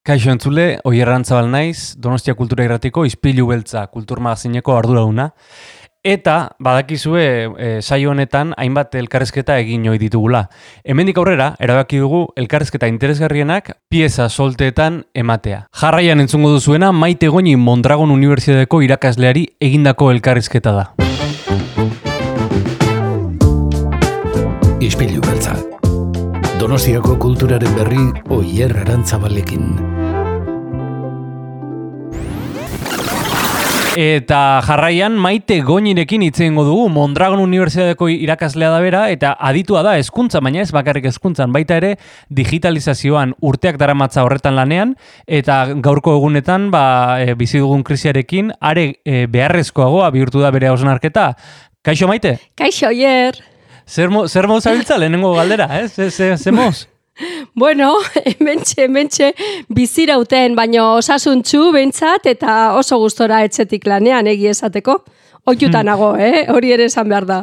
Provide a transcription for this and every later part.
Kaixo entzule, Oier Arantzabal naiz, Donostia Kultura Irratiko Ispilu Beltza kulturmagazineko arduraduna. Eta badakizue saio honetan hainbat elkarrizketa egin ohi ditugula. Hemendik aurrera, erabaki dugu elkarrizketa interesgarrienak pieza solteetan ematea. Jarraian entzungo duzuena Maite Goñi Mondragon Unibertsitateko irakasleari egindako elkarrizketa da. Ispilu Beltza. Donostiako kulturaren berri Oier Arantzabalekin. Eta jarraian Maite Goñirekin hitz egingo dugu. Mondragon Unibertsitateko irakaslea da bera eta aditua da hezkuntza, baina ez bakarrik hezkuntzan, baita ere digitalizazioan urteak daramatza horretan lanean eta gaurko egunetan bizi dugun krisiarekin are beharrezkoagoa bihurtu da bere hausnarketa. Kaixo Maite? Kaixo Oier. Zer moz abiltza lehenengo galdera, Zer moz? Bueno, hementxe bizirauten, baino osasuntzu behintzat eta oso gustora etxetik lanean egia esateko. Oiutan nago, hori ere esan behar da.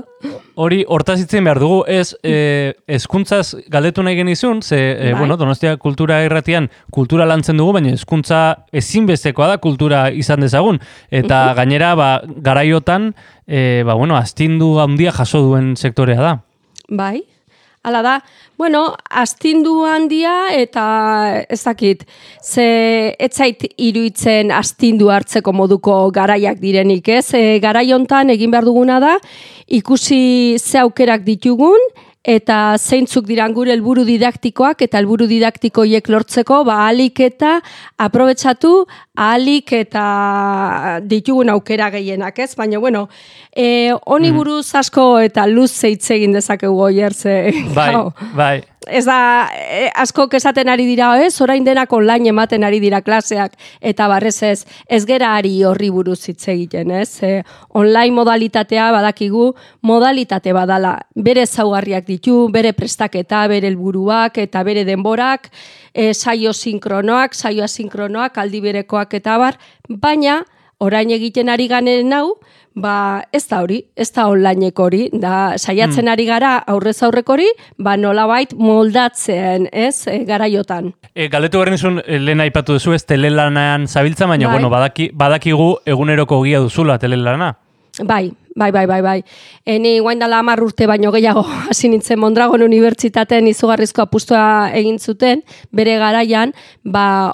Hori hortaz hitzen behar dugu, hezkuntzaz galdetu nahi genizun, Donostia Kultura Irratian kultura lantzen dugu, baina hezkuntza ezinbestekoa da kultura izan dezagun. Eta gainera, garaiotan, astindu handia jaso duen sektorea da. Bai. Hala da, astindu handia eta ez dakit, ez zait iruditzen astindu hartzeko moduko garaiak direnik, ez? Garai hontan egin behar duguna da, ikusi ze aukerak ditugun, eta zeintzuk diran gure helburu didaktikoak eta helburu didaktikoiek lortzeko, ahalik eta aprobetxatu, ahalik eta ditugun aukera gehienak, ez? Baina, honi buruz asko eta luz hitz egin dezakegu Oier, Bai. Ez da, askok esaten ari dira, orain denak online ematen ari dira klaseak, eta barrez ez gera ari horri buruz hitz egiten, ez? Online modalitatea badakigu, modalitate badala, bere ezaugarriak ditu, bere prestaketa, bere helburuak eta bere denborak, saio sinkronoak, saio asinkronoak, aldi berekoak eta bar, baina orain egiten ari ganen hau, ez da hori, ez da onlineko hori, da saiatzen ari gara aurrez aurreko hori, nolabait moldatzen, ez, garaiotan. Galdetu behar nizun, lehen aipatu duzu ez telelanean zabiltza, baina, badakigu eguneroko ogia duzula telelana. Bai. Ni guain dela 10 urte baino gehiago hasi nintzen Mondragon Unibertsitatean izugarrizko apustua egin zuten, bere garaian,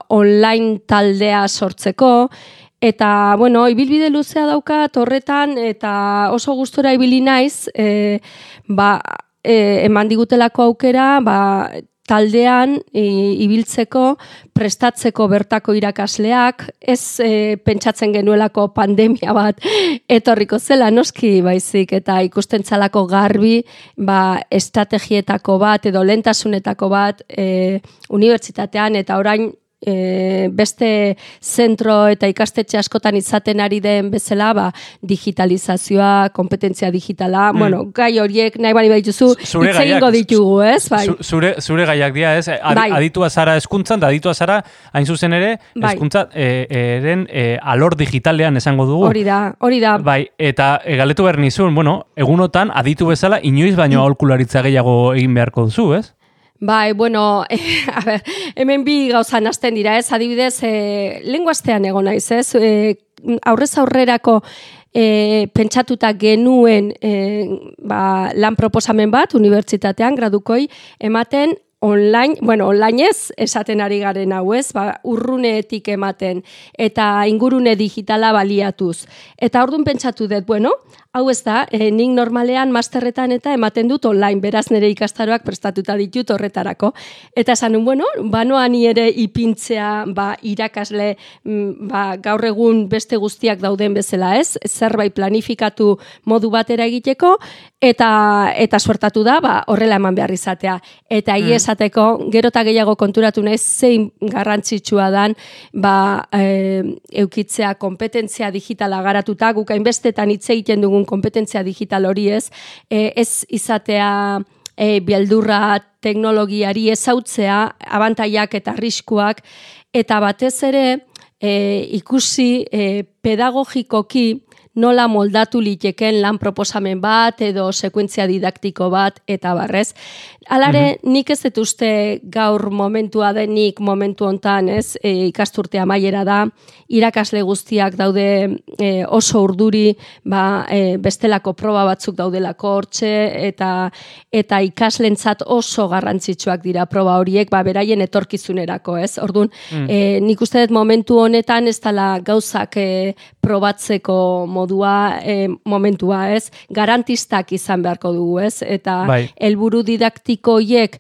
online taldea sortzeko, eta, ibilbide luzea daukat horretan, eta oso gustora ibili naiz, eman digutelako aukera, taldean ibiltzeko, prestatzeko bertako irakasleak, ez pentsatzen genuelako pandemia bat etorriko zela, noski baizik, eta ikusten txalako garbi, estrategietako bat edo lehentasunetako bat unibertsitatean, eta orain beste zentro eta ikastetxe askotan izaten ari den bezala, digitalizazioa, kompetentzia digitala, gai horiek nahi bali baituzu, hitz egingo ditugu, ez? Zure gaiak dira, ez? Aditua zara hezkuntzan, da aditua zara, hain zuzen ere, hezkuntza eren alor digitalean esango dugu. Hori da. Bai, eta galdetu behar nizun, egunotan aditu bezala, inoiz baino aholkularitza gehiago egin beharko duzu, ez? Bai, hemen bi gauza nazten dira, ez? Adibidez, lenguastean egon naiz, ez? Aurrez aurrerako pentsatuta genuen lan proposamen bat, unibertsitatean, gradukoi, ematen online, online ez, esaten ari garen hau, ez? Urruneetik ematen, eta ingurune digitala baliatuz. Eta orduan pentsatu dut, hau ez da, nik normalean masterretan eta ematen dut online, beraz nire ikastaroak prestatuta ditut horretarako. Eta esan, banoa ni ere ipintzea irakasle gaur egun beste guztiak dauden bezala, ez? Zerbait planifikatu modu batera egiteko, eta suertatu da, horrela eman behar izatea. Eta esateko, gero eta gehiago konturatu naiz zein garrantzitsua dan, eukitzea kompetentzia digitala garatuta, guk hainbestetan hitz egiten dugun kompetentzia digital hori ez izatea beldurra teknologiari ezautzea, abantaiak eta arriskuak, eta batez ere ikusi pedagogikoki nola moldatu liteken lan proposamen bat edo sekuentzia didaktiko bat eta barrez. Alare, nik ez dut uste gaur momentua denik momentu hontan, ez, ikasturte amaiera da, irakasle guztiak daude oso urduri, bestelako proba batzuk daudelako hortxe, eta ikaslentzat oso garrantzitsuak dira proba horiek, beraien etorkizunerako, ez? Orduan, nik uste dut momentu honetan ez dela gauzak probatzeko momentua, ez? Garantistak izan beharko dugu, ez? Eta helburu didaktikoiek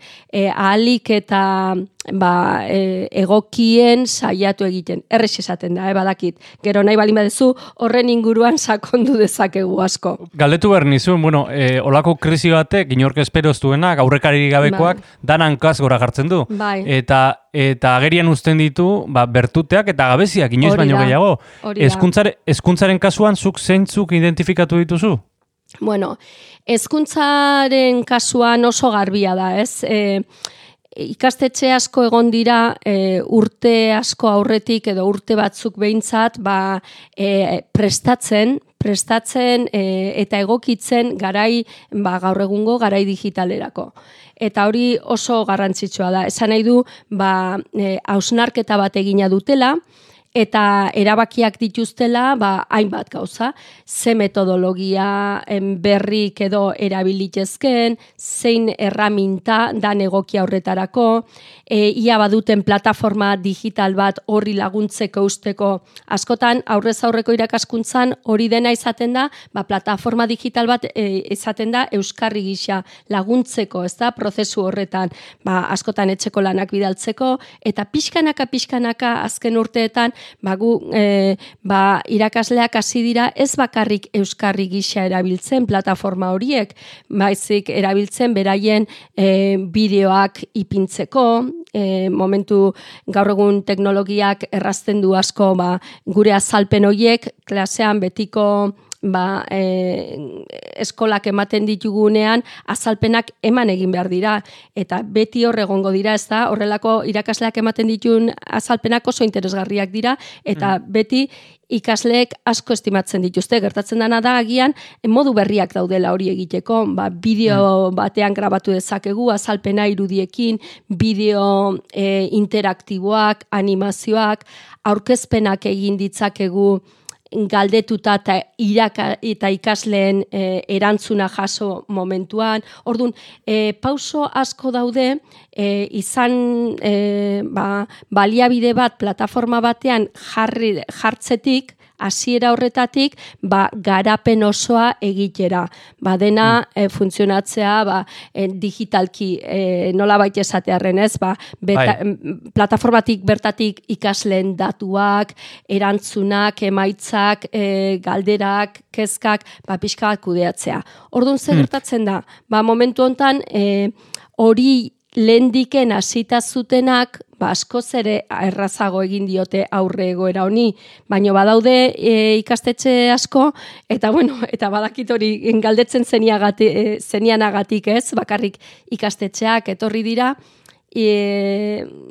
ahalik eta egokien saiatu egiten. Errex esaten da, badakit. Gero nahi balin badezu, horren inguruan sakondu dezakegu asko. Galdetu behar nizun, olako krisi batek, inork espero ez duenak, aurrekari gabekoak, danan gora jartzen du. Eta agerian uzten ditu, bertuteak eta gabeziak, inoiz baino gehiago. Hezkuntzaren kasuan, zuk zeintzuk identifikatu dituzu? Bueno, hezkuntzaren kasuan oso garbia da, ez? Ikastetxe asko egon dira urte asko aurretik edo urte batzuk behintzat prestatzen eta egokitzen garai gaur egungo garai digitalerako. Eta hori oso garrantzitsua da. Esan nahi du hausnarketa bat egina dutela, eta erabakiak dituztela hainbat gauza, ze metodologia berrik edo erabilitezken, zein erraminta dan egokia horretarako, ia baduten plataforma digital bat horri laguntzeko usteko. Askotan, aurrez aurreko irakaskuntzan hori dena izaten da, plataforma digital bat izaten da euskarri gisa laguntzeko, ez da, prozesu horretan, askotan etxeko lanak bidaltzeko, eta pixkanaka azken urteetan, irakasleak hasi dira ez bakarrik euskarri gisa erabiltzen plataforma horiek, baizik erabiltzen beraien bideoak ipintzeko, momentu gaur egun teknologiak errazten du asko gure azalpen horiek klasean betiko eskolak ematen ditugunean azalpenak eman egin behar dira, eta beti hor egongo dira, ez da, horrelako irakasleak ematen dituen azalpenak oso interesgarriak dira, eta beti ikasleek asko estimatzen dituzte. Gertatzen dena da agian modu berriak daudela hori egiteko, bideo batean grabatu dezakegu, azalpena irudiekin, bideo interaktiboak, animazioak, aurkezpenak egin ditzakegu galdetuta eta ikasleen erantzuna jaso momentuan. Orduan, pauso asko daude, izan baliabide bat plataforma batean jartzetik, hasiera horretatik, garapen osoa egitera. Dena funtzionatzea digitalki nola baita esatearren, ez? Plataformatik bertatik ikasleen datuak, erantzunak, emaitzak, galderak, kezkak, pixka bat kudeatzea. Orduan, zer gertatzen da? Momentu honetan, hori lehendiken hasita zutenak, askoz ere errazago egin diote aurre egoera honi, baina badaude ikastetxe asko, eta badakit hori galdetzen zenianagatik, ez, bakarrik ikastetxeak etorri dira,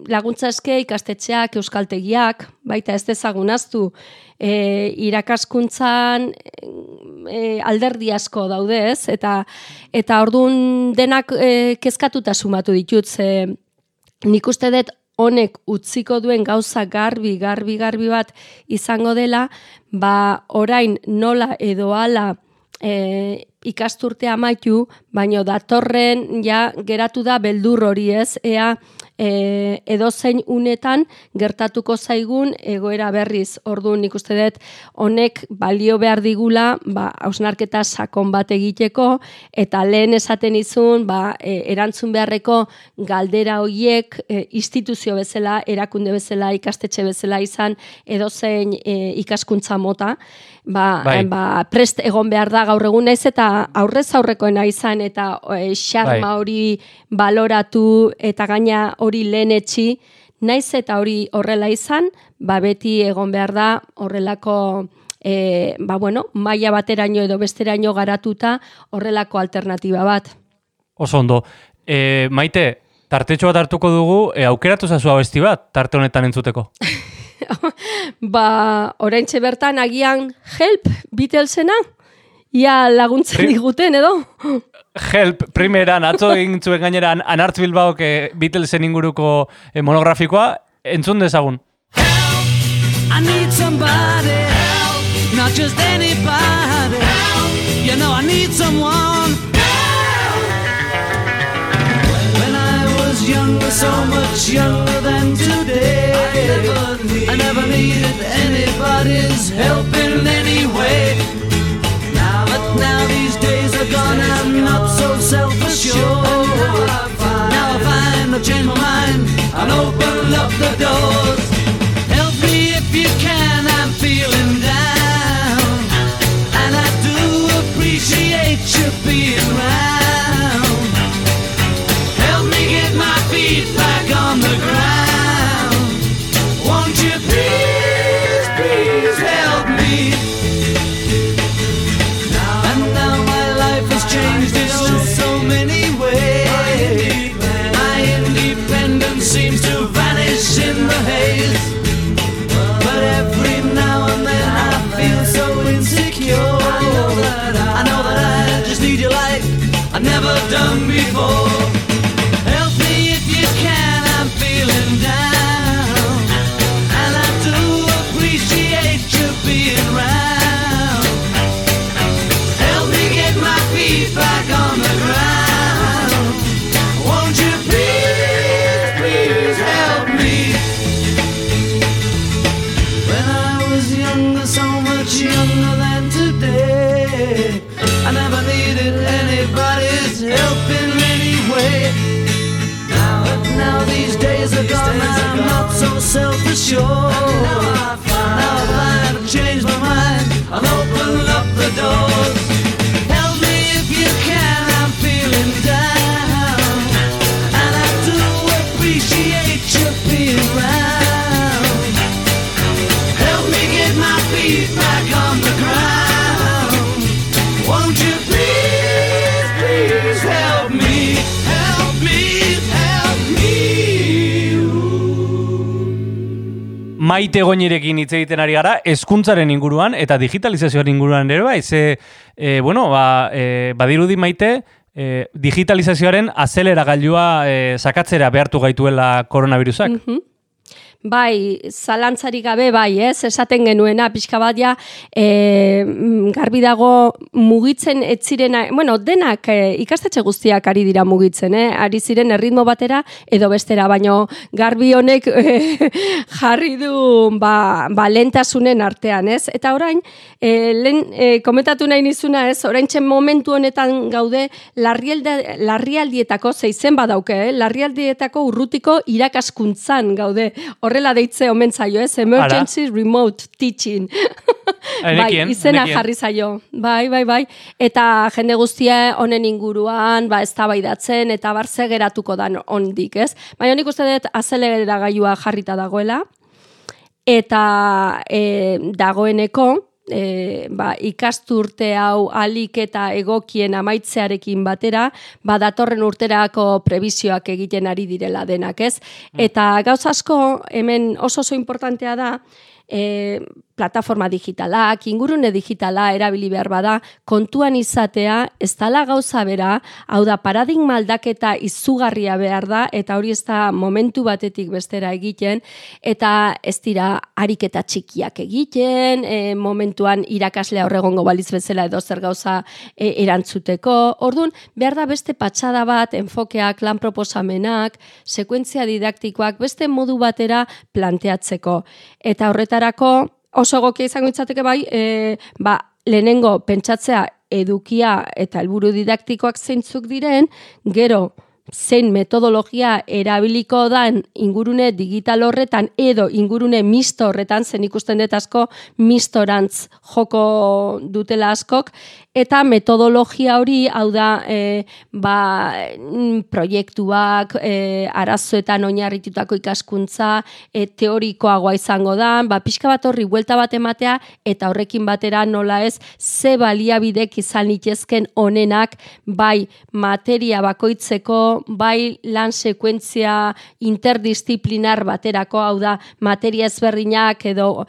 laguntza eske ikastetxeak, euskaltegiak, baita ez dezagunaztu, irakaskuntzan alderdi asko daude, ez, eta orduan denak kezkatuta sumatu ditut, nik uste dut honek utziko duen gauza garbi bat izango dela, orain nola edo hala ikasturtea amaitu, baino datorren geratu da beldur hori, ez, ea edozein unetan gertatuko zaigun egoera berriz. Orduan nik uste dut honek balio behar digula hausnarketa sakon bat egiteko, eta lehen esaten izun erantzun beharreko galdera horiek instituzio bezala, erakunde bezala, ikastetxe bezala izan edozein ikaskuntza mota, prest egon behar da gaur egun, naiz eta aurrez aurrekoena izan, eta xarma hori baloratu eta gaina hori lehenetxi, naiz eta hori horrela izan, beti egon behar da horrelako maila bateraino edo besteraino garatuta horrelako alternatiba bat. Oso ondo. Maite, tartetxo bat hartuko dugu, aukeratu zazu abesti bat, tarte honetan entzuteko. Oraintxe bertan agian Help, Beatlesena? Ia laguntzen diguten, edo? Help, primeran, atzo egin zuen gaineran Anartz Bilbaok Beatlesen inguruko monografikoa, entzun dezagun. I need somebody help, not just anybody help. You know I need someone help. When I was younger, so much younger than today, I never needed anybody's help in any way. But now these days are gone, I'm not so self-assured. Now I find I've changed my mind, I'll open up the doors. Help me if you can, I'm feeling down, and I do appreciate you being around. Help me get my feet back on the ground. Won't you please, please help me? Changed in so many ways. My independence seems to vanish in the haze. But every now and then I feel so insecure. I know that I just need you like I've never done before. Help me if you can, I'm feeling down, and I do appreciate you being around. Help me get my feet back on the ground. Won't you please, please help me? When I was younger, so much younger than today, I never needed anybody's help in any way. But now these days are gone, I'm not so self-assured. Now I find I've changed my mind, I'll open up the doors. Back on the ground. Won't you please, please help me, help me, help me. Maite Goñirekin hitz egiten ari gara, hezkuntzaren inguruan eta digitalizazioaren inguruan ere bai, badirudi Maite, digitalizazioaren azeleragailua sakatzera behartu gaituela koronavirusak. Bai, zalantzarik gabe bai, esaten genuena, pixka bat ja, garbi dago mugitzen etzirena, bueno, denak ikastetxe guztiak ari dira mugitzen, ari ziren erritmo batera edo bestera, baino garbi honek jarri du lentasunen artean, ez? Eta orain, komentatu nahi nizuna, ez? Oraintzen momentu honetan gaude larrialdietako, zeizen badauke, larrialdietako urrutiko irakaskuntzan gaude, horrela deitze omen zaio, ez? Emergency Remote Teaching. Izena jarri zaio. Bai. Eta jende guztia honen inguruan, eztabaidatzen eta barze geratuko da ondik, ez? Baina nik uste dut azeleragailua jarrita dagoela, eta dagoeneko, ikasturte hau alik eta egokien amaitzearekin batera, datorren urterako prebizioak egiten ari direla denak, ez? Eta gauz asko, hemen oso importantea da, plataforma digitalak, ingurune digitala erabili behar bada, kontuan izatea, ez dala gauza bera, hau da paradigma aldaketa izugarria behar da, eta hori ez da momentu batetik bestera egiten, eta ez dira ariketa txikiak egiten, momentuan irakaslea horregongo baliz bezala edo zer gauza erantzuteko. Orduan, behar da beste patxada bat, enfokeak, lan proposamenak, sekuentzia didaktikoak, beste modu batera planteatzeko. Eta horretarako, oso egokia izango itzateke bai, lehenengo pentsatzea edukia eta helburu didaktikoak zeintzuk diren, gero zein metodologia erabiliko dan ingurune digital horretan edo ingurune misto horretan, zen ikusten dut asko mistorantz joko dutela askok, eta metodologia hori, hau da, proiektuak, arazoetan oinarritutako ikaskuntza, teorikoagoa izango da, pixka bat horri buelta bat ematea, eta horrekin batera nola ez, ze baliabidek izan litezken onenak, bai materia bakoitzeko, bai lan sekuentzia interdisziplinar baterako, hau da, materia ezberdinak edo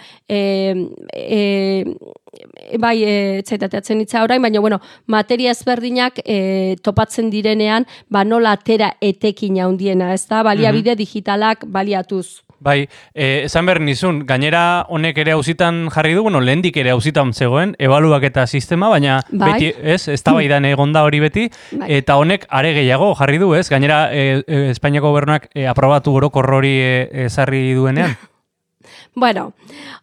bai, etzaitateatzen hitza orain, baina, bueno, materia ezberdinak topatzen direnean, nola atera etekin handiena, ez da, baliabide digitalak baliatuz. Bai, esan behar nizun, gainera honek ere auzitan jarri du, bueno, lehendik ere auzitan zegoen, ebaluaketa sistema, baina beti, ez da baidan egonda hori beti, eta honek are gehiago jarri du, ez? Gainera, Espainiako gobernuak aprobatu orokor hori ezarri duenean. Bueno,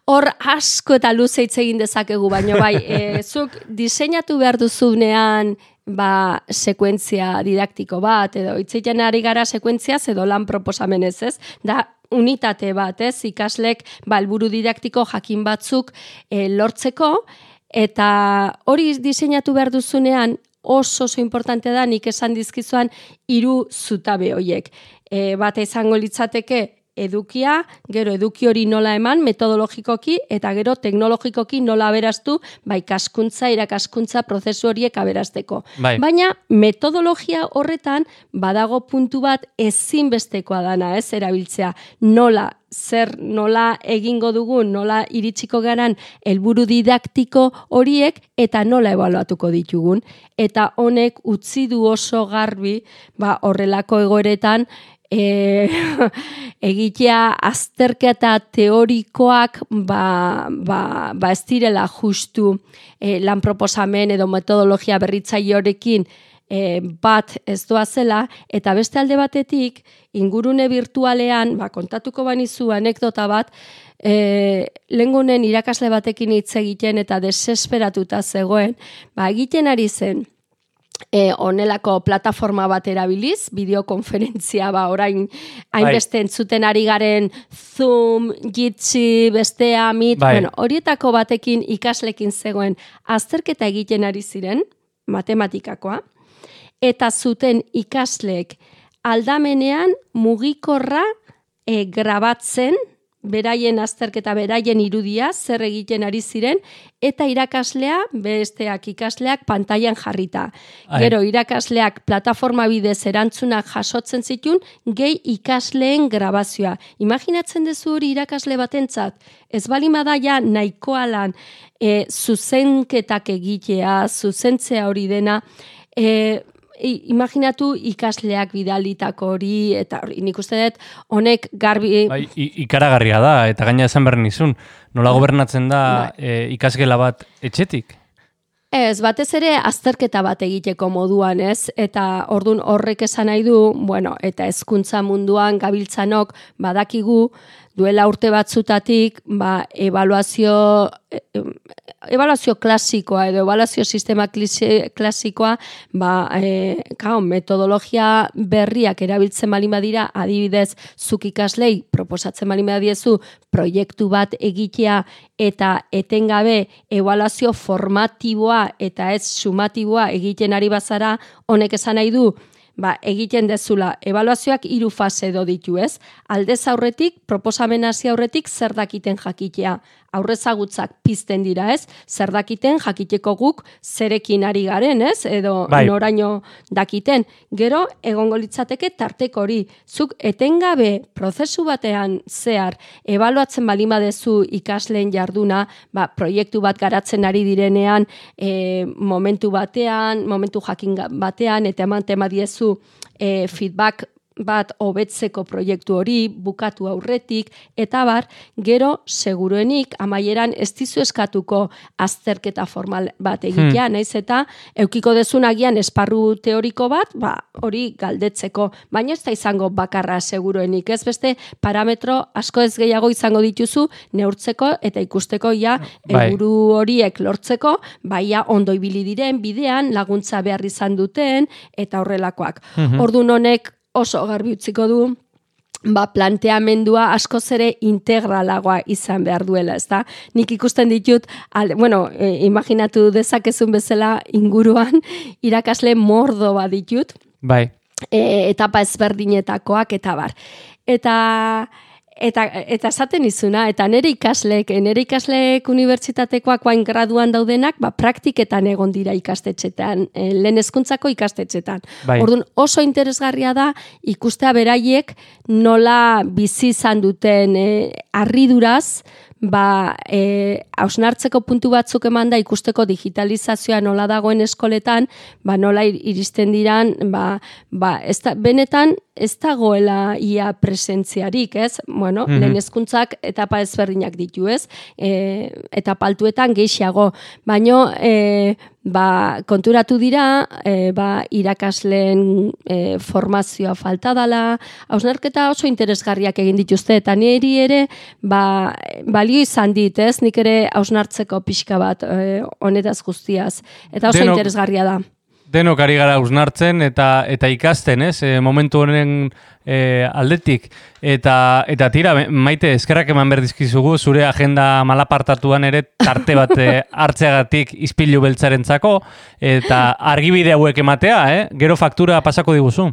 hor asko eta luze hitz egin dezakegu, baina bai, zuk diseinatu behar duzunean sekuentzia didaktiko bat, edo hitzeiten ari gara sekuentziaz edo lan proposamenez, ez? Da, unitate bat, ez? Ikaslek helburu didaktiko jakin batzuk lortzeko, eta hori diseinatu behar duzunean oso importante da, nik esan dizkizuan 3 zutabe horiek. Bata izango litzateke edukia, gero eduki hori nola eman metodologikoki, eta gero teknologikoki nola aberaztu, ikaskuntza, irakaskuntza prozesu horiek aberazteko. Baina metodologia horretan badago puntu bat ezinbestekoa dana, ez erabiltzea, nola egingo dugun, nola iritsiko garan helburu didaktiko horiek eta nola ebaluatuko ditugun. Eta honek utzi du oso garbi horrelako egoeretan egitea azterketa teorikoak ez direla justu lan proposamen edo metodologia berritzaile horekin bat ez doazela, eta beste alde batetik ingurune virtualean, kontatuko banizu anekdota bat, lehengunen irakasle batekin hitz egiten eta desesperatuta zegoen, egiten ari zen, honelako plataforma bat erabiliz, bideokonferentzia orain hainbeste entzuten ari garen Zoom, Jitsi, bestea, Meet, horietako batekin ikaslekin zegoen azterketa egiten ari ziren, matematikakoa, eta zuten ikasleek aldamenean mugikorra grabatzen, beraien azterketa, beraien irudia, zer egiten ari ziren, eta irakaslea, besteak ikasleak pantailan jarrita. Gero irakasleak plataforma bidez erantzunak jasotzen zituen, gehi ikasleen grabazioa. Imaginatzen dezu hori irakasle batentzat, ez balima ja nahikoa lan zuzenketak egitea, zuzentzea hori dena, imaginatu ikasleak bidalitako hori, eta nik uste dut, honek garbi... Ikaragarria da, eta gaina esan behar nizun, nola gobernatzen da ikasgela bat etxetik? Ez, batez ere azterketa bat egiteko moduan, ez? Eta ordun horrek esan nahi du, eta hezkuntza munduan gabiltzanok badakigu, duela urte batzutatik, ebaluazio klasikoa edo ebaluazio sistema klasikoa, metodologia berriak erabiltzen balin badira, adibidez, zuk ikaslei proposatzen balin badiezu proiektu bat egitea eta etengabe ebaluazio formatiboa eta ez sumatiboa egiten ari bazara, honek esan nahi du, egiten dezula, ebaluazioak 3 fase edo ditu, ez? Aldez aurretik, proposamen hasi aurretik zer dakiten jakitea. Aurrezagutzak pizten dira, ez? Zer dakiten jakiteko guk zerekin ari garen, ez? Edo noraino dakiten. Gero, egongo litzateke tarteko hori. Zuk etengabe prozesu batean zehar ebaluatzen balin badezu ikasleen jarduna, proiektu bat garatzen ari direnean, momentu jakin batean, eta eman diezu feedback bat hobetzeko proiektu hori, bukatu aurretik, eta gero seguruenik amaieran ez dizu eskatuko azterketa formal bat egitea, naiz eta eukiko dezun agian esparru teoriko bat, hori galdetzeko, baina ez da izango bakarra seguruenik, ez beste parametro asko ez gehiago izango dituzu neurtzeko eta ikusteko helburu horiek lortzeko, ondo ibili diren bidean, laguntza behar izan duten, eta horrelakoak. Ordun honek oso garbi utziko du, planteamendua askoz ere integralagoa izan behar duela, ezta? Nik ikusten ditut, imaginatu dezakezun bezala inguruan, irakasle mordo bat ditut, etapa ezberdinetakoak, eta Eta Eta esaten izuna, eta nire ikasleek unibertsitatekoak bain graduan daudenak, praktiketan egon dira ikastetxetan, lehen hezkuntzako ikastetxetan. Bai. Orduan oso interesgarria da ikustea beraiek nola bizi izan duten harriduraz, hausnartzeko puntu batzuk eman da ikusteko digitalizazioa nola dagoen eskoletan, nola iristen diran, benetan ez dagoela ia presentziarik, ez? Bueno, lehen hezkuntzak etapa ezberdinak ditu, ez? Etapa altuetan gehiago, baino konturatu dira, irakasleen formazioa falta dela, hausnarketa oso interesgarriak egin dituzte, eta niri ere, balio izan dit, ez? Nik ere hausnartzeko pixka bat honetaz guztiaz, eta oso interesgarria da. Denok ari gara hausnartzen eta ikasten, ez? Momentu honen aldetik. Eta tira, Maite, eskerrak eman berdizkizugu, zure agenda malapartatuan ere tarte bat hartzeagatik Ispilu Beltzarentzako, eta argibide hauek ematea, gero faktura pasako diguzu.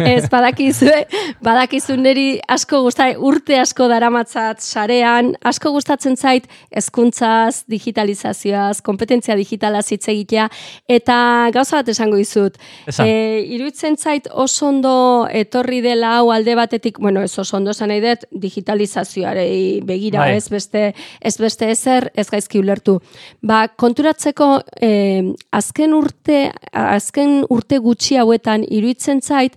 Ez, badakizu niri asko urte asko daramatzat sarean, asko gustatzen zait hezkuntzaz, digitalizazioaz, kompetentzia digitalaz hitz egitea, eta gauza bat esango dizut. Iruditzen zait oso ondo etorri dela hau alde batetik, bueno, ez oso ondo esan nahi dut, digitalizazioarei begira, ez beste ezer, ez gaizki ulertu. Konturatzeko azken urte gutxi hauetan iruditzen zait,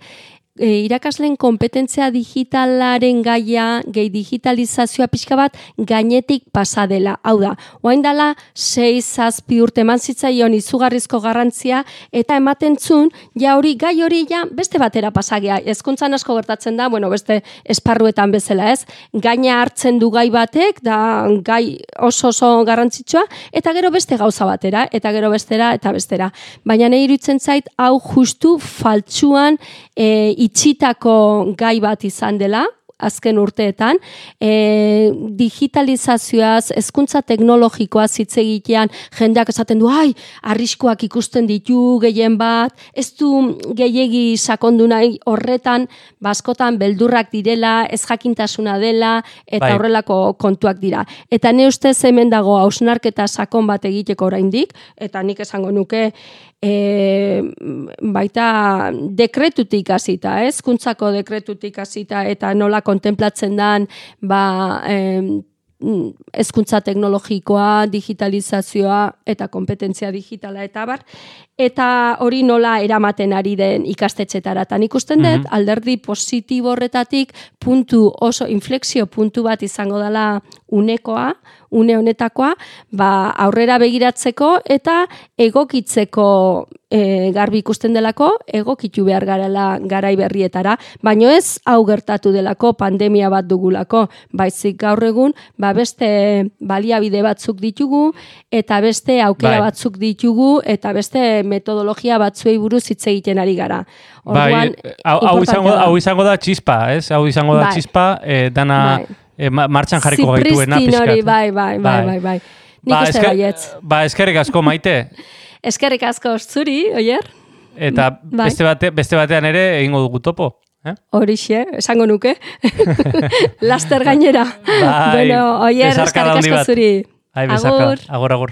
irakasleen kompetentzia digitalaren gaia, gehi digitalizazioa pixka bat gainetik pasa dela. Hau da, oain dela 6-7 urte eman zitzaion izugarrizko garrantzia, eta ematen zun, gai hori beste batera pasagea. Hezkuntzan asko gertatzen da, beste esparruetan bezala, ez? Gaina hartzen du gai batek, da gai oso garrantzitsua, eta gero beste gauza batera, eta gero bestera, eta bestera. Baina nahi iruditzen zait, hau justu faltsuan itxitako gai bat izan dela, azken urteetan, digitalizazioaz, hezkuntza teknologikoaz hitz egitean, jendeak esaten du, arriskuak ikusten ditu gehien bat, ez du gehiegi sakondu nahi horretan, askotan beldurrak direla, ez jakintasuna dela, eta horrelako kontuak dira. Eta ne ustez hemen dago hausnarketa sakon bat egiteko oraindik, eta nik esango nuke, baita dekretutik hasita, hezkuntzako dekretutik hasita, eta nola kontemplatzen dan hezkuntza teknologikoa, digitalizazioa eta kompetentzia digitala eta bar, eta hori nola eramaten ari den ikastetxetara. Eta nik usten dut, alderdi positibo horretatik oso inflexio puntu bat izango dela une honetakoa, aurrera begiratzeko eta egokitzeko garbi ikusten delako, egokitu behar garela garai berrietara, baino ez hau gertatu delako, pandemia bat dugulako, baizik gaur egun, beste baliabide batzuk ditugu, eta beste aukera batzuk ditugu, eta beste metodologia batzuei buruz hitz egiten ari gara. Orduan, hau izango da txispa, ez? Hau izango da txispa, dana martxan jarriko gaituena pixkat. Zipristin hori, bai. Nik uste baietz. Eskerrik asko, Maite. Eskerrik asko zuri, oier? Eta beste batean ere egingo dugu topo. Horixe, esango nuke. Laster gainera. Bueno, oier, eskerrik asko zuri. Agur.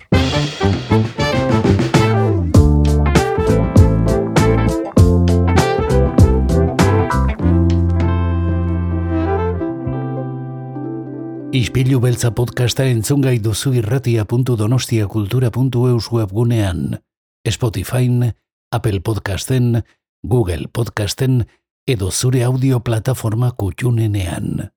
Ispilu Beltza podcasta entzungai duzu irratia.donostiakultura.eus webgunean, Spotifyn, Apple Podcasten, Google Podcasten edo zure audio plataforma kutxunenean.